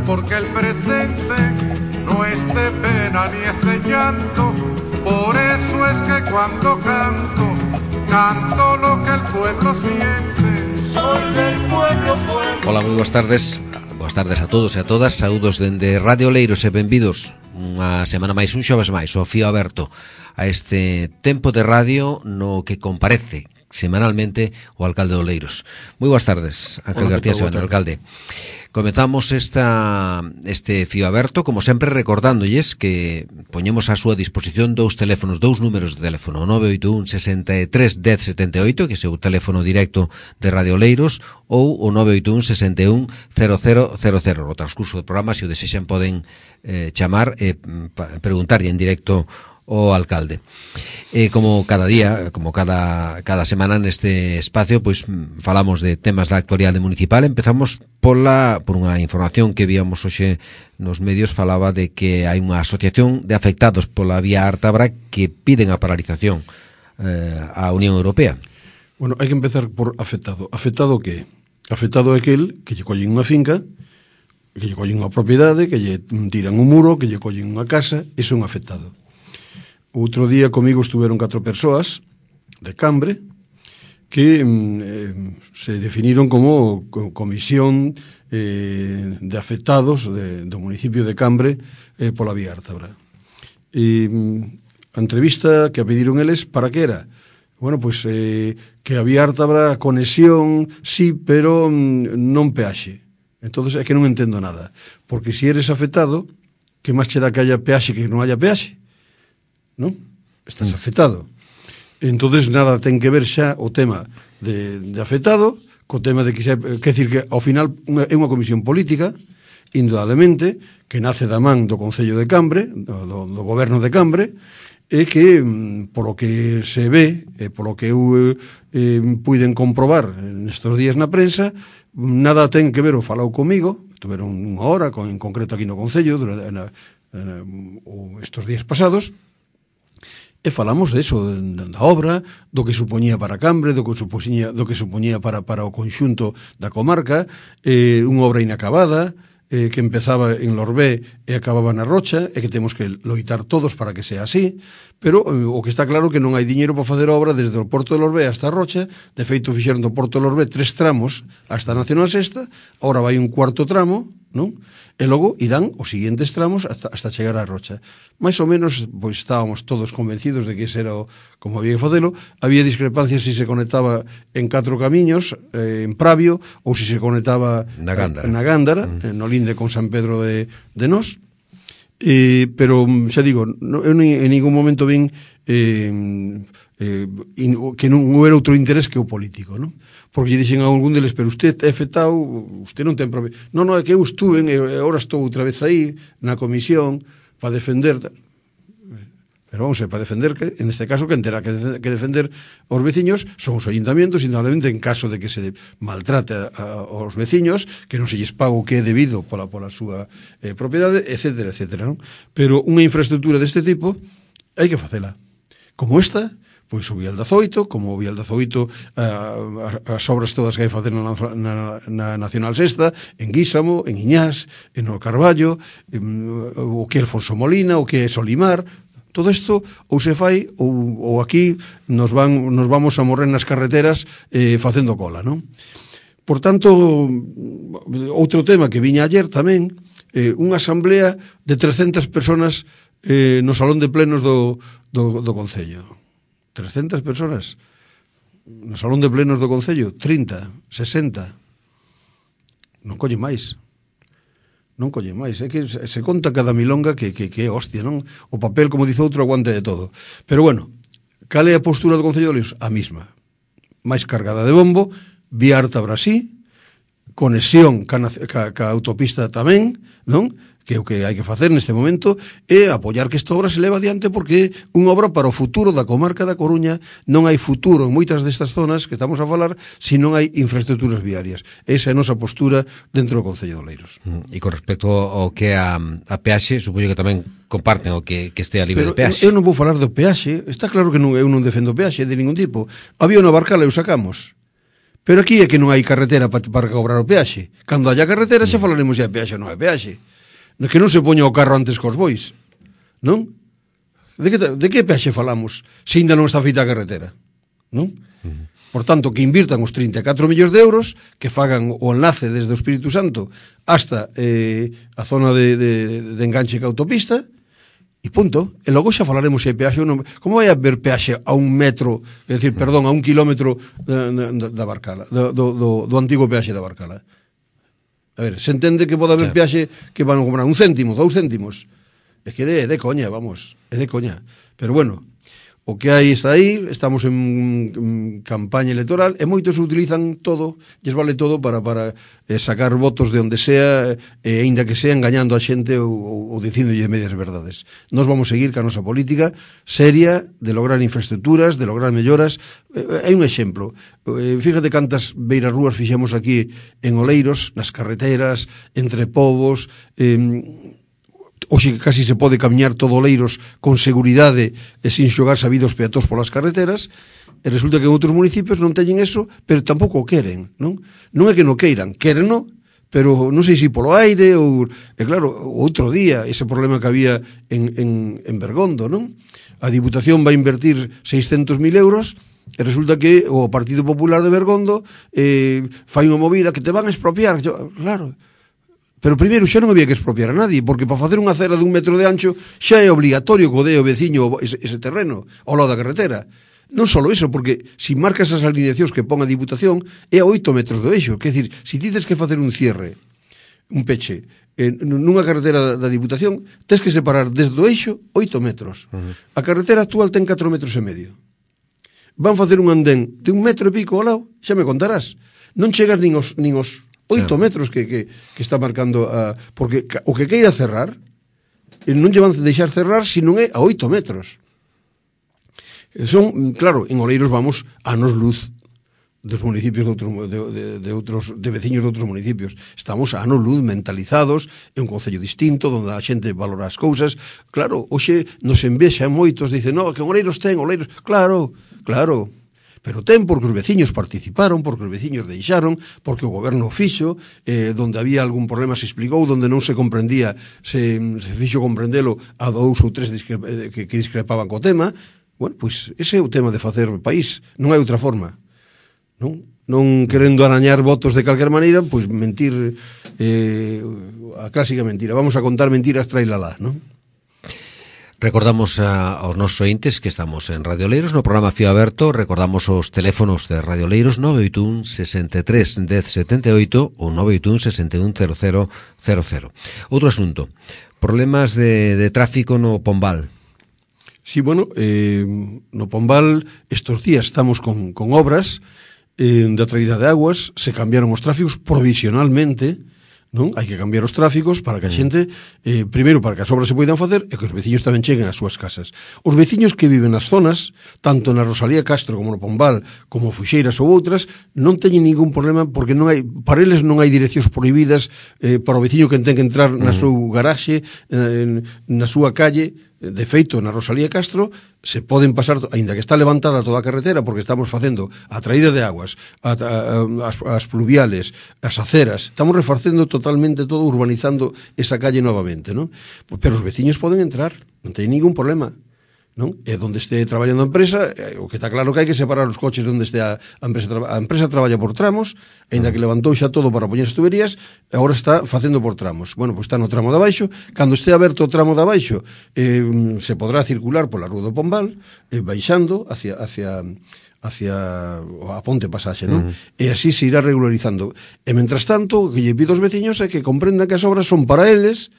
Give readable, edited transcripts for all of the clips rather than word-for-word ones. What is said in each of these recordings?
porque el presente no es de pena ni es de llanto. Por eso es que cuando canto, canto lo que el pueblo siente. Soy del pueblo, pueblo. Hola, moi boas tardes. Boas tardes a todos e a todas. Saúdos dende Radio Oleiros e benvidos unha semana máis, un xoves máis, o fío aberto a este tempo de radio no que comparece semanalmente o alcalde de Oleiros. Moi boas tardes, Ángel García Severo, alcalde. Comezamos este fío aberto, como sempre, recordándolles que poñemos a súa disposición dous teléfonos, dous números de teléfono, o 981 63 10 78, que é o teléfono directo de Radio Oleiros, ou o 981 61 0000. No transcurso do programa, se o desexan, poden chamar e preguntarlle en directo o alcalde. Como cada día, como cada semana neste espacio, pois falamos de temas da actualidade municipal. Empezamos por unha información que víamos hoxe nos medios. Falaba de que hai unha asociación de afectados pola vía Ártabra que piden a paralización á Unión Europea. Bueno, hai que empezar por afectado. Afectado que? Afectado é aquel que lle collen unha finca, que lle collen unha propiedade, que lle tiran un muro, que lle collen unha casa. Iso é un afectado. Outro día comigo estuveron 4 persoas de Cambre que se definiron como comisión de afectados do municipio de Cambre pola vía Ártabra. A entrevista que a pediron eles, para que era? Bueno, pois que a vía Ártabra, conexión, sí, pero non peaxe. Entonces é que non entendo nada, porque se eres afectado, que máis che dá que haya peaxe que non haya peaxe? Non? Estás afectado. Entonces nada ten que ver xa o tema de afectado co tema de que decir que ao final é unha comisión política, indudablemente, que nace da man do Concello de Cambre, do goberno de Cambre, e que polo que se ve e polo que eu puiden comprobar nestes días na prensa, nada ten que ver o falou comigo, tuveron unha hora en concreto aquí no Concello estes días pasados. E falamos de eso, da obra, do que supoñía para Cambre, do que supoñía para o conxunto da comarca, unha obra inacabada, que empezaba en Lorbé e acababa na Rocha, e que temos que loitar todos para que sea así, pero o que está claro que non hai diñeiro para facer a obra desde o Porto de Lorbé hasta a Rocha. De feito, fixeron do Porto de Lorbé 3 tramos hasta a Nacional Sexta, agora vai un cuarto tramo, non? E logo irán os seguintes tramos hasta chegar á Rocha. Mais ou menos, pois estábamos todos convencidos de que ese era como había que facelo. Había discrepancias se conectaba en 4 camiños, en Pravio, ou se conectaba na Gándara, no linde con San Pedro de Nós. Pero, xa digo, eu en ningún momento vin que non houbera outro interés que o político, non? Porque lle dixen a algún deles, pero usted é afectado, usted non ten problema. Non, é que eu estuve e agora estou outra vez aí na comisión para defender. Pero vamos a ver, para defender que, en este caso, quen terá que defender os veciños son os ayuntamientos, indudablemente, en caso de que se maltrate aos veciños, que non se lles paga o que é debido pola súa propiedade, etcétera, etcétera, non? Pero unha infraestructura deste tipo hai que facela. Como esta, pois o Vial 18, como o Vial 18, as obras todas que hai facer na Nacional Sexta, en Guísamo, en Iñás, en o Carballo, o que é Alfonso Molina, o que é Solimar. Todo isto ou se fai ou aquí nos vamos a morrer nas carreteras facendo cola, non? Por tanto, outro tema que viña ayer tamén, unha asamblea de 300 personas no salón de plenos do Concello. 300 personas no salón de plenos do Concello, 30, 60. Non colle máis. Non colle máis. É que se conta cada milonga que é hostia, non? O papel, como dice outro, aguante de todo. Pero bueno, cal é a postura do Concello de Oleiros? A mesma. Máis cargada de bombo, vía Ártabra sí, conexión ca autopista tamén, non? Que é o que hai que facer neste momento, é apoiar que esta obra se leva adiante, porque é unha obra para o futuro da comarca da Coruña. Non hai futuro en moitas destas zonas que estamos a falar se non hai infraestructuras viarias. Esa é a nosa postura dentro do Concello de Oleiros. E con respecto ao que é a peaxe, supoño que tamén comparten o que estea libre de peaxe. Eu non vou falar do peaxe, está claro que eu non defendo peaxe de ningún tipo. Había unha barcala e o sacamos. Pero aquí é que non hai carretera para cobrar o peaxe. Cando haya carretera xa falaremos se hai peaxe ou non hai peaxe. Que non se poña o carro antes cos bois, non? De que peaxe falamos se ainda non está feita a carretera, non? Por tanto, que invirtan os 34 millóns de euros, que fagan o enlace desde o Espírito Santo hasta a zona de enganche que autopista, e punto. E logo xa falaremos se hai peaxe ou non. Como vai haber peaxe a 1 metro, é dicir, perdón, a 1 kilómetro da Barcala, do antigo peaxe da Barcala? A ver, se entende que pode haber peaxe que van a cobrar 1 céntimo, 2 céntimos. É que é de coña, vamos, é de coña. Pero bueno, o que hai está aí, estamos en campaña electoral e moitos utilizan todo, lles vale todo para sacar votos de onde sea, aínda que sea engañando a xente ou dicíndolle medias verdades. Nos vamos seguir ca nosa política seria de lograr infraestructuras, de lograr melloras. Hai un exemplo, fíjate cantas beirarrúas fixemos aquí en Oleiros, nas carreteras, entre povos, hoxe casi se pode camiñar todo Oleiros con seguridade e sin xogar sabidos peatóns polas carreteras, e resulta que en outros municipios non teñen eso, pero tampouco o queren, non? Non é que non queiran, quérenno, pero non sei se polo aire ou... E claro, outro día, ese problema que había en Bergondo, non? A Diputación vai invertir 600.000 euros e resulta que o Partido Popular de Bergondo fai unha movida que te van a expropiar. Claro, pero primeiro xa non había que expropiar a nadie, porque para facer unha acera de 1 metro de ancho xa é obligatorio que o dé o veciño ese terreno ao lado da carretera. Non só iso, porque se marcas as alineacións que pon a Diputación é a 8 metros do eixo. Quer dizer, se tides que facer un cierre, un peche, nunha carretera da Diputación, tens que separar desde o eixo 8 metros. A carretera actual ten 4 metros e medio. Van facer un andén de 1 metro e pico ao lado, xa me contarás. Non chegas nin os 8 metros que está marcando porque o que queira cerrar non lle van deixar cerrar se non é a 8 metros. Son, claro, en Oleiros vamos a anos luz dos municipios de veciños de outros municipios. Estamos a anos luz mentalizados, é un concello distinto onde a xente valora as cousas. Claro, hoxe nos envexa moitos, dicen, no, que en Oleiros ten, Oleiros, claro, pero ten porque os veciños participaron, porque os veciños deixaron, porque o goberno fixo, donde había algún problema se explicou, donde non se comprendía, se fixo comprendelo a 2 ou 3 que discrepaban co tema. Bueno, pois ese é o tema de facer país, non hai outra forma, non querendo arañar votos de calquer maneira, pois mentir, a clásica mentira, vamos a contar mentiras, trailalá, non? Recordamos aos nosos ointes que estamos en Radio Oleiros no programa Fío Aberto. Recordamos os teléfonos de Radio Oleiros 981 63 10 78 ou 981 61 00 00. Outro asunto, problemas de tráfico no Pombal. Sí, bueno, no Pombal estes días estamos con obras de traída de aguas, se cambiaron os tráficos provisionalmente, non? Hai que cambiar os tráficos para que a xente, primeiro para que as obras se poidan facer e que os veciños tamén cheguen ás súas casas. Os veciños que viven nas zonas, tanto na Rosalía Castro como no Pombal, como Fuxeiras ou outras, non teñen ningún problema porque non hai, para eles non hai direccións prohibidas para o veciño que ten que entrar na súa garaxe, na súa calle. De feito, na Rosalía Castro se poden pasar, aínda que está levantada toda a carretera, porque estamos facendo a traída de aguas, as pluviales, as aceras, estamos reforcendo totalmente todo, urbanizando esa calle novamente, non? Pero os veciños poden entrar, non ten ningún problema, non? E onde este traballando a empresa, o que está claro que hai que separar os coches onde este a empresa. A empresa traballa por tramos, aínda que levantou xa todo para poñer as tuberías, agora está facendo por tramos. Bueno, pois está no tramo de abaixo, cando este aberto o tramo de abaixo, se podrá circular pola Rúa do Pombal, baixando hacia a ponte pasaxe, non? E así se irá regularizando. E mentras tanto, o que lle pido aos veciños é que comprendan que as obras son para eles,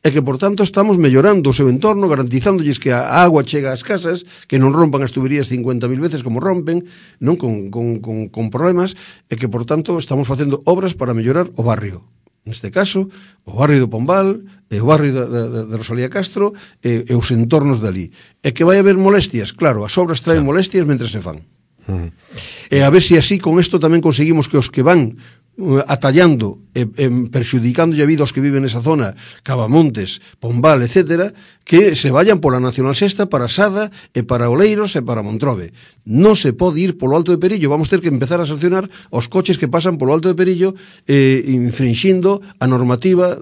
e que, por tanto, estamos mellorando o seu entorno, garantizándolles que a agua chega ás casas, que non rompan as tuberías 50.000 veces como rompen, non con problemas, e que, por tanto, estamos facendo obras para mellorar o barrio. Neste caso, o barrio do Pombal, e o barrio de Rosalía Castro, e os entornos dali. E que vai haber molestias, claro, as obras traen molestias mentre se fan. E a ver se así con isto tamén conseguimos que os que van atallando e perxudicando a vida aos que viven nesa zona, Cavamontes, Pombal, etcétera, que se vayan pola Nacional Sexta para Sada e para Oleiros e para Montrobe. Non se pode ir polo Alto de Perillo, vamos ter que empezar a sancionar os coches que pasan polo Alto de Perillo infringindo a normativa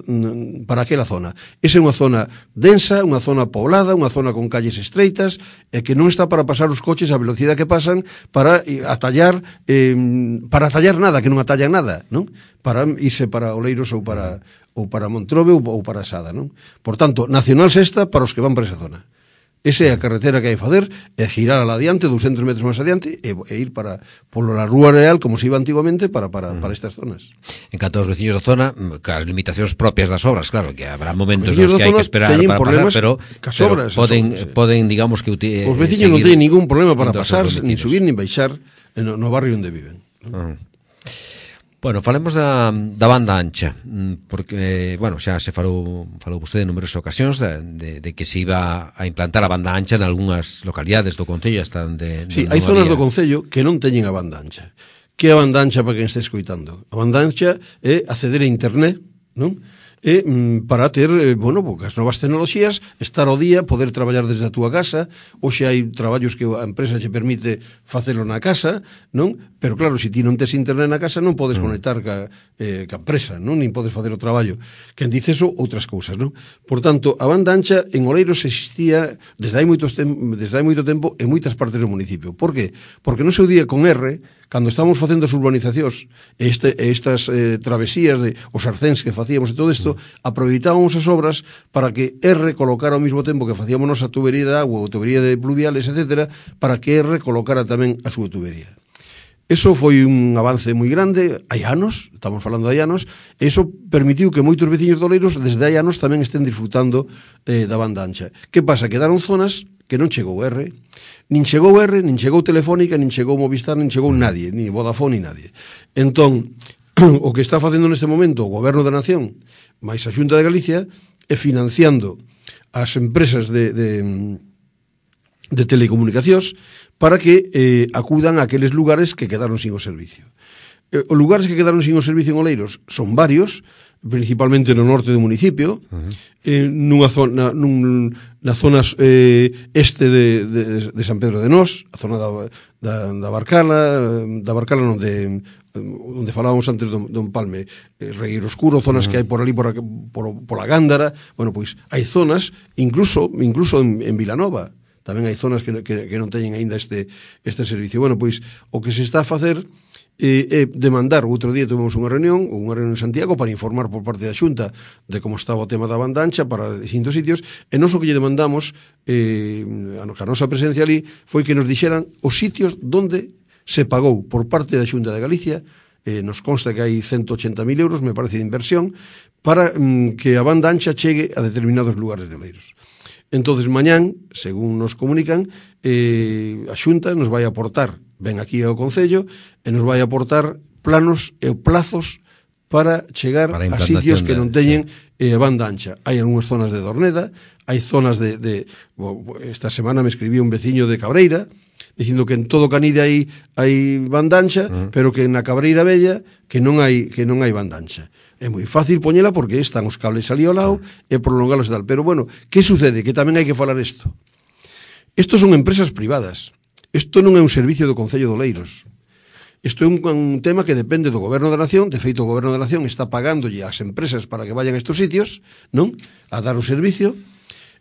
para aquela zona. Esa é unha zona densa, unha zona poblada, unha zona con calles estreitas e que non está para pasar os coches a velocidade que pasan para atallar nada, que non atallan nada, non? Para irse para Oleiros ou para Montrobe ou para Sada, non? Por tanto, Nacional Sexta para os que van para esa zona. Esa é a carretera que hai que facer, é girar ala adiante, 200 metros máis adiante, e ir polo la Rúa Real, como se iba antigamente, para estas zonas. En canto aos veciños da zona, as limitacións propias das obras, claro, que habrá momentos nos que hai que esperar para pasar, pero poden, digamos que... Os veciños non teñen ningún problema para pasar, nin subir, nin baixar no barrio onde viven. Bueno, falemos da banda ancha, porque, bueno, xa se falou vostede en numerosas ocasións de que se iba a implantar a banda ancha en algunhas localidades do Concello hasta onde... Sí, hai zonas do Concello que non teñen a banda ancha. Que é a banda ancha para quen este escoitando? A banda ancha é acceder a internet, non? E para ter, bueno, porque as novas tecnoloxías, estar ao día, poder traballar desde a túa casa. Hoxe hai traballos que a empresa che permite facelo na casa, non? Pero claro, se ti non tes internet na casa non podes conectar ca empresa, non? Nin podes facer o traballo. Quen dice eso, outras cousas, non? Por tanto, a banda ancha en Oleiros existía desde hai moito tempo en moitas partes do municipio. Por qué? Porque no seu día con R, cando estamos facendo as urbanizacións estas travesías de os arcéns que facíamos e todo isto, aproveitábamos as obras para que R colocara ao mesmo tempo que facíamos nosa tubería de agua ou tubería de pluviales, etc., para que R colocara tamén a súa tubería. Eso foi un avance moi grande, hai anos, estamos falando de hai anos, e iso permitiu que moitos veciños de Oleiros desde hai anos tamén estén disfrutando da banda ancha. Que pasa? Quedaron zonas que non chegou R, nin chegou Telefónica, nin chegou Movistar, nin chegou nadie, ni Vodafone, ni nadie. Entón, o que está facendo neste momento o Goberno da Nación máis a Xunta de Galicia é financiando as empresas de telecomunicacións para que acudan a aqueles lugares que quedaron sin o servicio. Os lugares que quedaron sin o servicio en Oleiros son varios, principalmente no norte do municipio, na zona este de San Pedro de Nós, a zona da Barcala non, onde falábamos antes do Empalme, Regueiro Oscuro, zonas que hai por ali pola Gándara. Bueno, pois hai zonas, incluso en Vilanova, tamén hai zonas que non teñen aínda este servicio. Bueno, pois o que se está a facer demandar. Outro día tuvemos unha reunión en Santiago para informar por parte da Xunta de como estaba o tema da banda ancha para distintos sitios, e nós o que lle demandamos a nosa presencia ali foi que nos dixeran os sitios donde se pagou por parte da Xunta de Galicia. Nos consta que hai 180.000 euros, me parece, de inversión para que a banda ancha chegue a determinados lugares de Oleiros. Entonces, mañán, según nos comunican, a Xunta nos vai aportar, ven aquí ao Concello, e nos vai aportar planos e plazos para chegar a sitios que non teñen banda ancha. Hai algunhas zonas de Dorneda, hai zonas esta semana me escribía un veciño de Cabreira, dicindo que en todo Canide hai banda ancha, pero que na Cabreira Bella que non hai banda ancha. É moi fácil poñela porque están os cables ali ao lado e prolongalos e tal. Pero bueno, que sucede? Que tamén hai que falar isto. Estos son empresas privadas. Isto non é un servicio do Concello de Oleiros. Isto é un tema que depende do Goberno da Nación. De feito, o Goberno da Nación está pagándolle ás empresas para que vayan a estos sitios, non? A dar o servicio.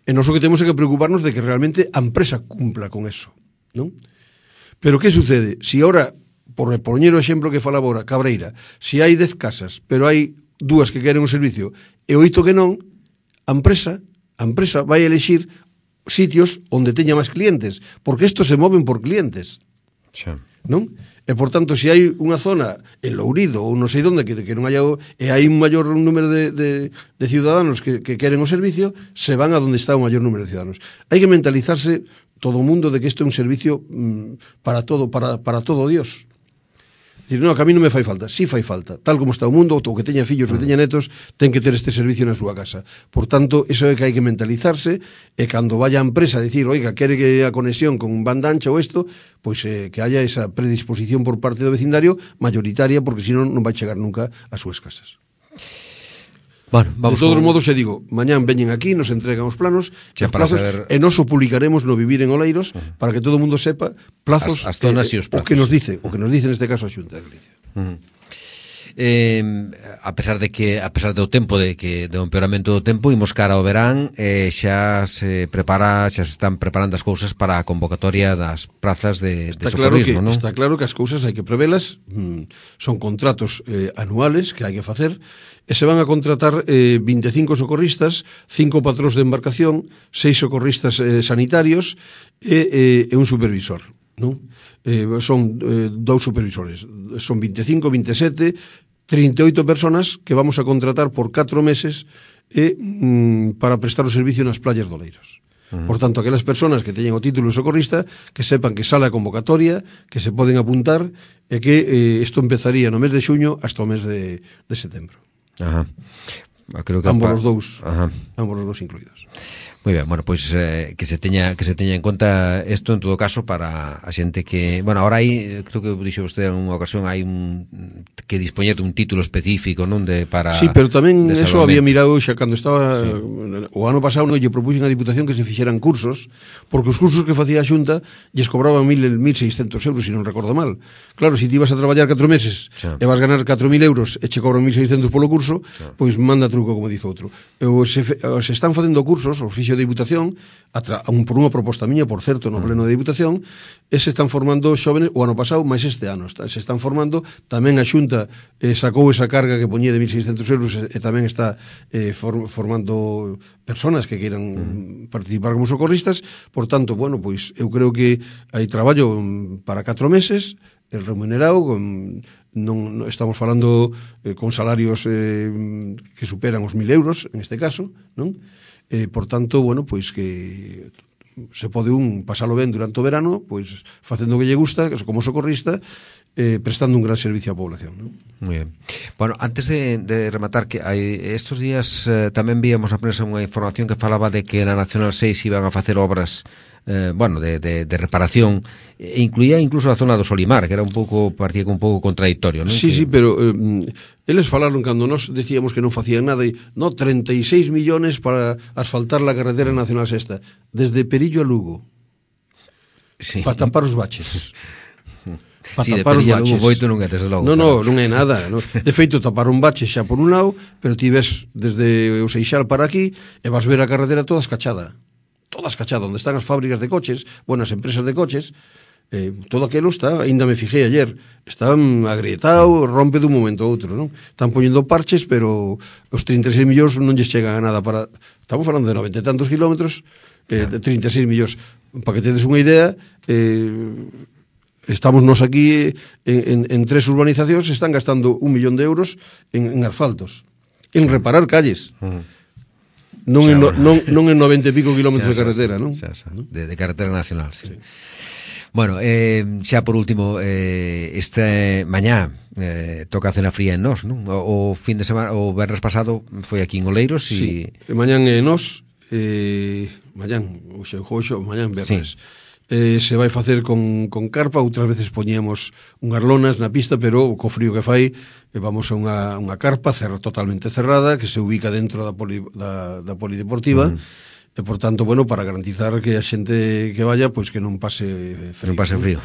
E nós o que temos é que preocuparnos de que realmente a empresa cumpla con eso, non? Pero que sucede? Si ahora, por poñer o exemplo que falaba ahora, Cabreira, si hai 10 casas, pero hai 2 que queren un servicio e 8 que non, a empresa vai elexir sitios onde teña máis clientes, porque estos se moven por clientes, non? E, por tanto, se hai unha zona en Lourido ou non sei onde que non haya, e hai un maior número de ciudadanos que queren o servicio, se van a donde está o maior número de ciudadanos. Hai que mentalizarse todo o mundo de que isto é un servicio para todo Dios. Dicir, non, que a mí non me fai falta. Si fai falta. Tal como está o mundo, o que teña fillos, o que teña netos, ten que ter este servicio na súa casa. Por tanto, iso é que hai que mentalizarse, e cando vaya a empresa a dicir, oiga, quere que a conexión con banda ancha ou isto, pois que haya esa predisposición por parte do vecindario mayoritaria, porque senón non vai chegar nunca ás súas casas. Bueno, de todos modos, xa digo, mañán veñen aquí, nos entregan os planos, os plazos, e nos o publicaremos no Vivir en Oleiros, para que todo o mundo sepa plazos, as zonas e os plazos. O que nos dice neste caso a Xunta de Galicia. A pesar do tempo do empeoramento do tempo, imos cara ao verán, xa se están preparando as cousas para a convocatoria das prazas de socorrismo, non? Está claro que as cousas hai que prevelas, son contratos anuales que hai que facer, e se van a contratar 25 socorristas, 5 patróns de embarcación, 6 socorristas sanitarios e un supervisor, non? Son 2 supervisores, son 25, 27, 38 personas que vamos a contratar por 4 meses para prestar o servicio nas playas de Oleiros. Por tanto, aquelas personas que teñen o título de socorrista, que sepan que sale a convocatoria, que se poden apuntar, e que isto empezaría no mes de xuño hasta o mes de setembro. Ajá. Creo que ambos os dous incluídos. Moi ben, bueno, pois que se teña en conta isto en todo caso para a xente que, bueno, ahora hai, creo que dixo vostede en unha ocasión, hai que dispoñer de un título específico, non, para sí, pero tamén eso había mirado xa cando estaba o ano pasado, non, lle propuxen a Diputación que se fixeran cursos, porque os cursos que facía a Xunta lles cobraban 1.600 euros, se non recordo mal. Claro, se ti vas a traballar 4 meses e vas ganar 4.000 euros e che cobran 1.600 polo curso, pois manda truco, como dice outro. Se están facendo cursos, os fixo de Diputación, por unha proposta miña, por certo, no pleno de Diputación, e se están formando xóvenes, o ano pasado, máis este ano, se están formando, tamén a Xunta sacou esa carga que poñía de 1.600 euros e tamén está formando personas que queiran participar como socorristas. Por tanto, bueno, pois eu creo que hai traballo para 4 meses, remunerado, non estamos falando con salarios que superan os 1.000 euros, en este caso, non? Por tanto, bueno, pois que se pode pasalo ben durante o verano, pois facendo o que lle gusta, como socorrista, prestando un gran servicio á población, non? Moi ben. Bueno, antes de rematar, que estos días tamén víamos a prensa unha información que falaba de que na Nacional 6 iban a facer obras de reparación, e incluía incluso a zona do Solimar, que era parecía un pouco contradictorio, non? Sí, pero eles falaron cando nos decíamos que non facían nada, e 36 millones para asfaltar la carretera nacional sexta, desde Perillo a Lugo, para tapar os baches. Para tapar os baches. Non é nada, no? De feito, tapar un bache xa por un lado, pero ti ves desde o Seixal para aquí e vas ver a carretera toda escachada, onde están as fábricas de coches, as empresas de coches, todo aquilo está, ainda me fijei ayer, está agrietado, rompe dun momento a outro, non? Están poñendo parches, pero os 36 millóns non lles chegan a nada para... Estamos falando de 90 e tantos kilómetros, de 36 millóns. Para que tedes unha idea, estamos nos aquí en 3 urbanizacións, están gastando 1 millón de euros en asfaltos, en reparar calles. Non en 90 e pico kilómetros de carretera, non? De carretera nacional, sí. Bueno, xa por último, este mañá toca a cena fría en Nós, non? O fin de semana, o venres pasado foi aquí en Oleiros e... Sí, mañán en Nós, mañán vernes. Se vai facer con carpa, outras veces poñíamos unhas lonas na pista, pero co frío que fai vamos a unha carpa totalmente cerrada que se ubica dentro da polideportiva, e por tanto, bueno, para garantizar que a xente que vaya, pois que non pase frío. Non pase frío.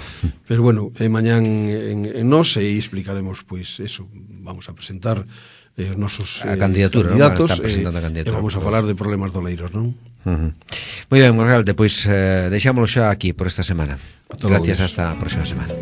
Pero bueno, mañán en Nós e explicaremos, pois eso, vamos a presentar os nosos candidatos, e vamos a falar de problemas de Oleiros, non? Moi ben, Morgalde, pois deixámoslo xa aquí por esta semana. Gracias, hasta a próxima semana.